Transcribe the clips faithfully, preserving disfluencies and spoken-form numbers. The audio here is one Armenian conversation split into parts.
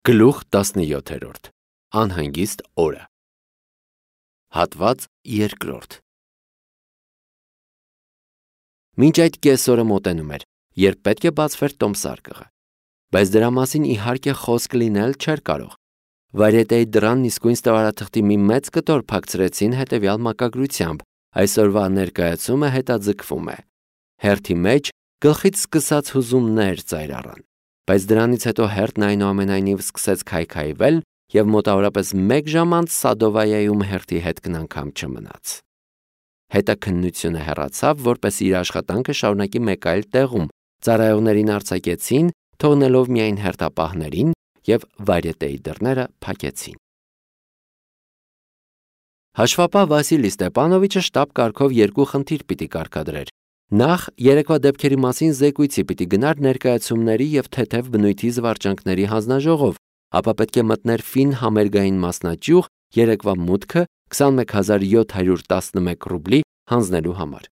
Գլուխ տասնյոթերորդ Անհանգիստ օրը Հատված երկրորդ Մինչ այդ կեսօրը մոտենում էր, երբ պետք է բացվեր տոմսարկղը, բայց դրա մասին իհարկե խոսք լինել չէր կարող։ Վարյետեի դռան իսկույն ստվարաթղթի մի մեծ կտոր փակցրեցին հետևյալ մակագրությամբ. այսօրվա ներկայացումը հետաձգվում է։ Հերթի մեջ գլխից սկսած հուզումներ ծայր առան, բայց դրանից հետո հերթն այնուամենայնիվ սկսեց քայքայվել և մոտավորապես մեկ ժամ անց Սադովայայում հերթի հետքն անգամ չմնաց։ Հետաքննությունը հեռացավ, որպեսզի իր աշխատանքը շարունակի մեկ այլ տեղում, ծառայողներին արձակեցին, թողնելով միայն հերթապահներին, և վարյետեի դռները փակեցին։ Հաշվապահ Վասիլի Ստեպանովիչը շտապ կարգով երկու խնդիր պիտի կարգադրեր։ Նախ երեկվա դեպքերի մասին զեկույցի պիտի գնար ներկայացումների և թեթև բնույթի զվարճանքների հանձնաժողով, ապա պետք է մտներ ֆին համերգային մասնաճյուղ երեկվա մուտքը քսանմեկ հազար յոթ հարյուր տասնմեկ ռուբլի հանձնելու համար։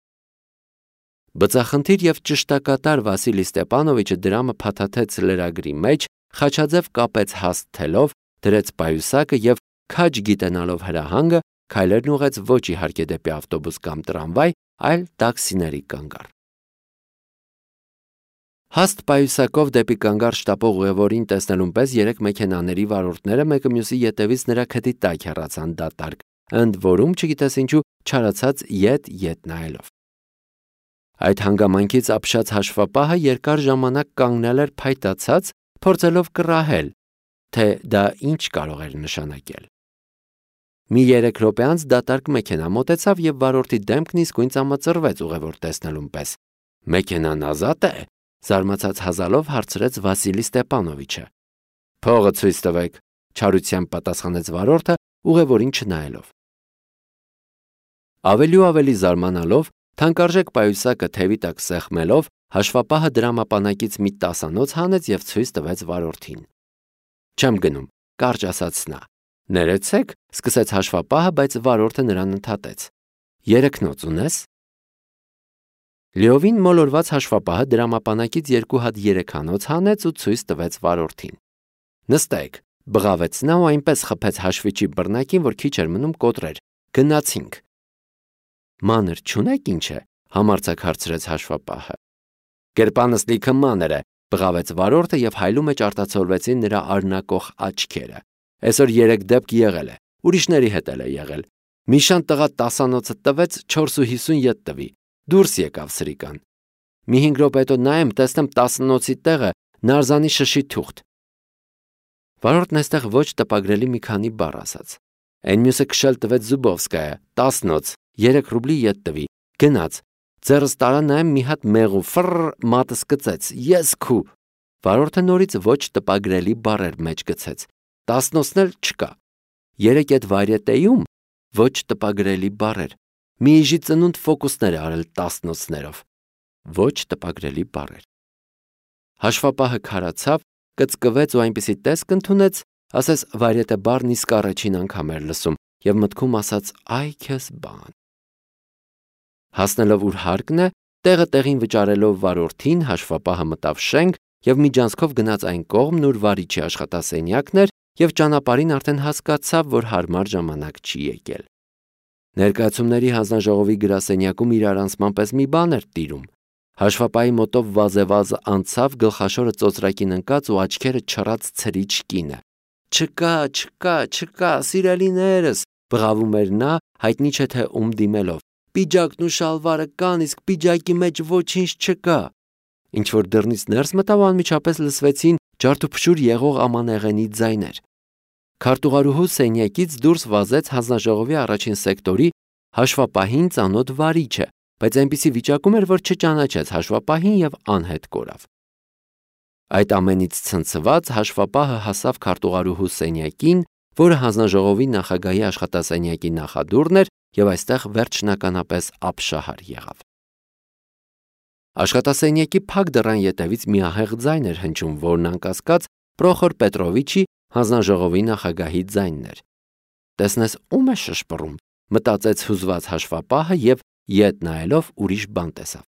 Բծախնդիր և ճշտակատար Վասիլի Ստեպանովիչը դրամը փաթաթեց լրագրի մեջ, խաչաձև կապեց հաստ թելով, դրեց պայուսակը և, քաջ գիտենալով հրահանգը, քայլերն ուղղեց ոչ իհարկե դեպի ավտոբուս կամ տրամվայ, այլ տաքսիների կանգառ։ Հաստ պայուսակով դեպի կանգառ շտապող ուղևորին տեսնելուն պես երեք մեքենաների վարորդները մեկը մյուսի ետևից նրա քթի տակ հեռացան դատարկ, ընդ որում, չգիտես ինչու, չարացած ետ-ետ նայելով։ Այդ հանգամանքից ապշած հաշվապահը երկար ժամանակ կանգնել էր փայտացած, փորձելով կռահել, թե դա ինչ կարող էր նշանակել։ Մի երեք րոպե անց դատարկ մեքենա մոտեցավ և վարորդի դեմքն իսկույն ծամծռվեց ուղևոր տեսնելուն պես։ Մեքենան ազատ է, զարմացած հազալով հարցրեց Վասիլի Ստեպանովիչը։ Փողը ցույց տվեք, չարությամբ պատասխանեց վարորդը, ուղևորին չնայելով։ Ավելի ու ավելի զարմանալով, թանկարժեք պայուսակը թևի տակ սեղմելով, հաշվապահը դրամապանակից մի տասանոց հանեց և ցույց տվեց վարորդին։ Չեմ գնում, կարճ ասաց նա։ Ներեցեք, սկսեց հաշվապահը, բայց վարորդը նրան ընդհատեց։ Երեքնոց ունես։ Լիովին մոլորված հաշվապահը դրամապանակից երկու հատ երեքանոց հանեց ու ցույց տվեց վարորդին։ Նստեք, բղավեց նա ու այնպես խփեց հաշվիչի բռնակին, որ քիչ էր մնում կոտրեր։ Գնացինք։ Մանր չունեք ինչ է, համարձակ հարցրեց հաշվապահը։ Կերպանս լիքը մանր է, բղավեց վարորդը և հայլու մեջ արտացոլվեցին նրա արնակող աչքերը։ Այսօր երեք դեպք եղել է, ուրիշների հետ էլ է եղել։ Մի շան տղա տասանոցը տվեց, չորս ու հիսուն յոթ տվի, դուրս եկավ սրիկան։ Մի հինգ րոպե հետո նայեմ, տեսնեմ տասնոցի տեղը նարզանի շշի թուղթ։ Վարորդն այստեղ ոչ տպագրելի մի քանի բառ ասաց։ Այն մյուսը քշել տվեց Զուբովսկայա, տասնոց, երեք ռուբլի յոթ տվի, գնաց։ Ձեռս տարա նայեմ մի հատ մեղու, ֆռռ, մատս կծեց, ես քու։ Վարորդը նորից ոչ տպագրելի բառեր մեջ գցեց։ Տասնոցն էլ չկա։ Երեք այդ վարյետեյում ոչ տպագրելի բառեր։ Մի իժի ծնունդ ֆոկուսներ արել տասնոցներով։ Ոչ տպագրելի բառեր։ Հաշվապահը քարացավ, կծկվեց ու այնպիսի տեսք ընդունեց, ասես վարյետը բառն իսկ առաջին անգամ էր լսում և մտքում ասաց այ քեզ բան։ Հասնելով ուր հարկն է, տեղը տեղին վճարելով վարորդին, հաշվապահը մտավ շենք և միջանցքով գնաց այն կողմն, ուր վարիչի աշխատասենյակն էր, և ճանապարհին արդեն հասկացավ, որ հարմար ժամանակ չի եկել։ Ներկայացումների հանձնաժողովի գրասենյակում իրարանցման պես մի բան էր տիրում։ Հաշվապահի մոտով վազեվազ անցավ գլխաշորը ծոծրակին ընկած ու աչքերը չռած ցրիչ կինը։ Չկա, չկա, չկա, սիրելիներս, բղավում էր նա, հայտնի չէ թե ում դիմելով։ Պիջակն ու շալվարը կան, իսկ պիջակի մեջ ոչինչ չկա։ Ինչ որ դռնից ներս մտավ, անմիջապես լսվեցին ջարդուփշուր եղող ամանեղենի ձայներ։ Քարտուղարուհու սենյակից դուրս վազեց հանձնաժողովի առաջին սեկտորի հաշվապահին ծանոթ վարիչը, բայց այնպիսի վիճակում էր, որ չճանաչեց հաշվապահին և անհետ կորավ։ Այդ ամենից ցնցված հաշվապահը հասավ քարտուղարուհու սենյակին, որը հանձնաժողովի նախագահի աշխատասենյակի նախադուռն էր և այստեղ վերջնականապես ապշահար եղավ։ Աշխատասենյակի փակ դռան ետևից մի ահեղ ձայն էր հնչում, որն անկասկած Պրոխոր Պետրովիչի հանձնաժողովի նախագահի ձայնն էր։ Տեսնես ում է շշպռում, մտածեց հուզված հաշվապահը և ետ նայելով ուրիշ բան տեսավ։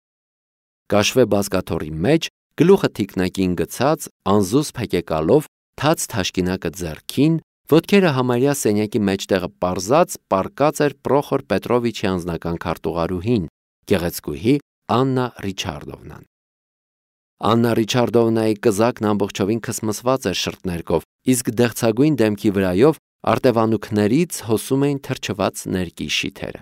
Կաշվե բազկաթոռի մեջ, գլուխը թիկնակին գցած, անզուսպ հեկեկալով, թաց թաշկինակը ձեռքին, ոտքերը համարյա սենյակի մեջտեղը պարզած, պառկած էր Պրոխոր Պետրովիչի անձնական քարտուղարուհին, գեղեցկուհի Աննա Ռիչարդովնան։ Աննա Ռիչարդովնայի կզակն ամբողջովին քսմսված էր շրթներկով, իսկ դեղցագույն դեմքի վրայով արտևանուքներից հոսում էին թրջված ներկի շիթերը։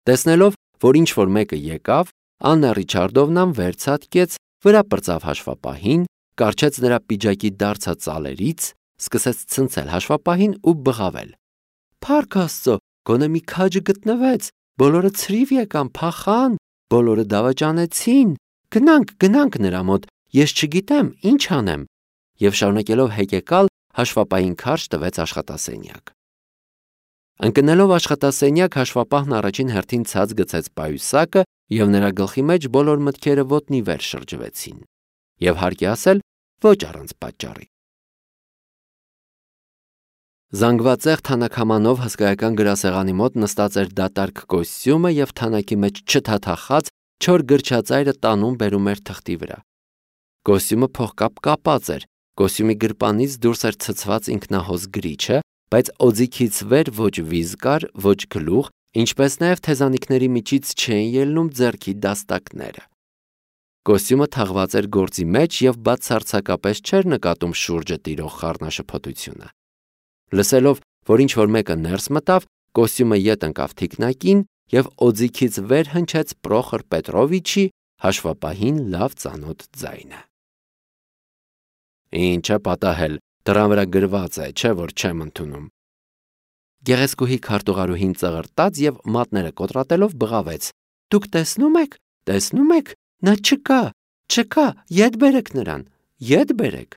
Տեսնելով, որ ինչ-որ մեկը եկավ, Աննա Ռիչարդովնան վերցատկեց, վրա պրծավ հաշվապահին, կառչեց նրա պիջակի դարձած ծալերից, սկսեց ցնցել հաշվապահին ու բղավել. «Փառք Աստծո, գոնե մի քաջը գտնվեց, բոլորը ցրիվ եկան, փախան, բոլորը դավաճանեցին, գնանք, գնանք նրա մոտ, ես չգիտեմ, ինչ անեմ», եւ շարունակելով հեկեկալ, հաշվապահին քարշ տվեց աշխատասենյակ։ Ընկնելով աշխատասենյակ, հաշվապահն առաջին հերթին ցած գցեց պայուսակը եւ նրա գլխի մեջ բոլոր մտքերը ոտնի վեր շրջվեցին, եւ հարկ է ասել, ոչ առանց պատճառի։ Զանգվածեղ թանաքամանով հսկայական գրասեղանի մոտ նստած էր դատարկ կոստյումը եւ թանակի մեջ չթաթախած չոր գրչածայրը տանում բերում էր թղթի վրա։ Կոստյումը փողկապ կապած էր, կոստյումի գրպանից դուրս էր ցցված ինքնահոս գրիչը, բայց օձիքից վեր ոչ վիզ կար, ոչ գլուխ, ինչպես նաև թեզանիքների միջից չէին ելնում ձեռքի դաստակները։ Կոստյումը թաղված էր գործի մեջ եւ բացարձակապես չէր նկատում շուրջը տիրող խառնաշփոթությունը։ Լսելով, որ ինչ-որ մեկը ներս մտավ, կոստյումը ետ ընկավ թիկնակին եւ օձիքից վեր հնչեց Պրոխոր Պետրովիչի հաշվապահին լավ ծանոթ ձայնը։ «Ինչ է պատահել, դռան վրա գրված է, չէ՞ որ չեմ ընդունում»։ Գեղեցկուհի քարտուղարուհին ծղրտաց եւ մատները կոտրատելով բղավեց. «Դուք տեսնում եք, տեսնում եք, նա չկա, չկա, ետ բերեք նրան, ետ բերեք»։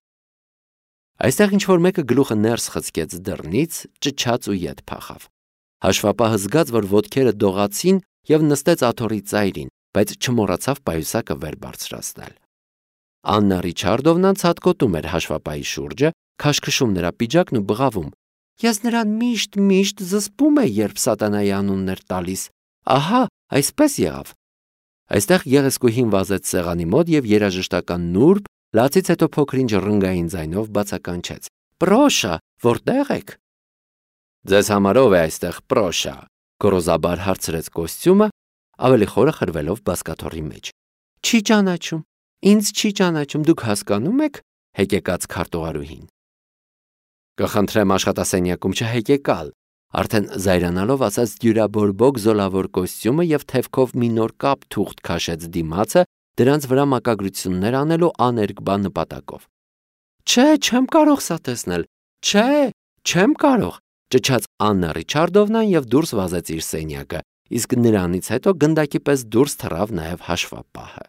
Այստեղ ինչ-որ մեկը գլուխը ներս խցկեց դռնից, ճչաց ու ետ փախավ։ Հաշվապահը զգաց, որ ոտքերը դողացին եւ նստեց աթոռի ծայրին, բայց չմոռացավ պայուսակը վեր բարձրացնել։ Աննա Ռիչարդովնան ցատկոտում էր հաշվապահի շուրջը, քաշքշում նրա պիջակն ու բղավում. «Ես նրան միշտ միշտ զսպում եմ, երբ սատանայի անունն էր տալիս, ահա, այսպես եղավ»։ Այստեղ գեղեցկուհին վազեց սեղանի մոտ եւ երաժշտական նուրբ, լացից հետո փոքրինչ ռնգային ձայնով բացականչեց. «Պրոշա, որտե՞ղ եք»։ «Ձեզ համար ով է այստեղ Պրոշա», գոռոզաբար հարցրեց կոստյումը, ավելի խորը խրվելով բազկաթոռի մեջ։ «Չի ճանաչում, ինձ չի ճանաչում, դուք հասկանում եք», հեկեկաց քարտուղարուհին։ «Կխնդրեմ աշխատասենյակում չհեկեկալ», արդեն զայրանալով ասաց դյուրաբորբոք զոլավոր կոստյումը եւ թևքով մի նոր կապ թուղթ քաշեց դիմացը, դրանց վրա մակագրություններ անելու աներկբա նպատակով։ «Չէ, չեմ կարող սա տեսնել, չէ, չեմ կարող», ճչաց Աննա Ռիչարդովնան եւ դուրս վազեց իր սենյակը, իսկ նրանից հետո գնդակի պես դուրս թռավ նաեւ հաշվապահը։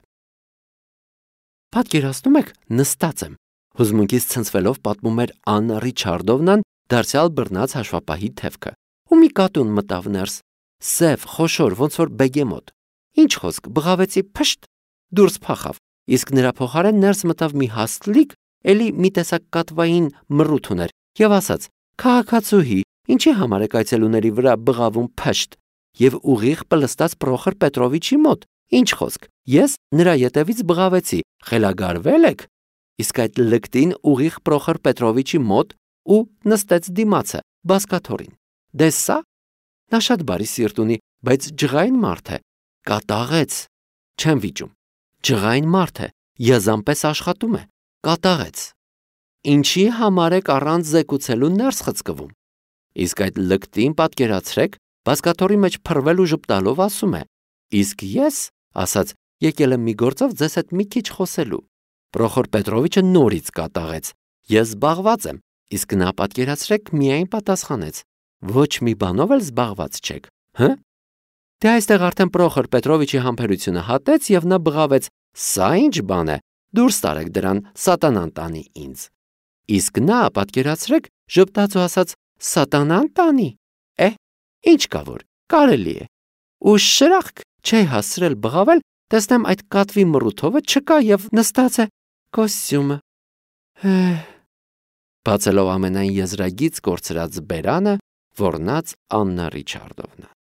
«Պատկերացնում եք, նստած եմ», հուզմունքից ցնցվելով պատմում էր Աննա Ռիչարդովնան, դարձյալ բռնած հաշվապահի թևքը։ «Ու մի կատուն մտավ ներս, սև, խոշոր, ոնց որ բեգեմոտ։ Ինչ խոսք, բղավեցի, փշտ, դուրս փախավ, իսկ նրա փոխարեն ներս մտավ մի հաստլիկ, էլի մի տեսակ կատվային մռութ ուներ եւ ասաց. «Քաղաքացուհի, ինչի համար եք այցելուների վրա բղավում փշտ» եւ ուղիղ պլստած Պրոխոր Պետրովիչի մոտ։ Ինչ խոսք, ես նրա ետևից բղավեցի, խելագարվել եք։ Իսկ այդ լկտին ուղիղ Պրոխոր Պետրովիչի մոտ ու նստեց դիմացը, բազկաթոռին։ Դե սա, նա շատ բարի սիրտ ունի, բայց ջղային մարդ է, կատաղեց, չեմ վիճում, ջղային մարդ է, եզանպես աշխատում է, կատաղեց։ Ինչի համար եք առանց զեկուցելու ներս խցկվում։ Իսկ այդ լկտին պատկերացրեք, բազկաթոռի մեջ փռվել ու ժպտալով ասում է. «Իսկ ես, ասաց, եկել եմ մի գործով ձեզ հետ մի քիչ խոսելու»։ Պրոխոր Պետրովիչը նորից կատաղեց. «Ես զբաղված եմ», իսկ նա պատկերացրեք միայն պատասխանեց. «Ոչ մի բանով էլ զբաղված չեք, հը»։ Դե այստեղ արդեն Պրոխոր Պետրովիչի համբերությունը հատեց եւ նա բղավեց. «Սա ինչ բան է, դուրս տարեք դրան, սատանան տանի ինձ»։ Իսկ նա պատկերացրեք ժպտաց ու ասաց. «Սատանան տանի, է, ինչ կա որ, կարելի է»։ Ու շրախկ չի հասցրել բղավել, տեսնեմ այդ կատվի մռութովը չկա եւ նստած է կոստյումը։ Բացելով ամենայն եզրագից կորցրած բերանը, ոռնաց Աննա Ռիչարդովնան։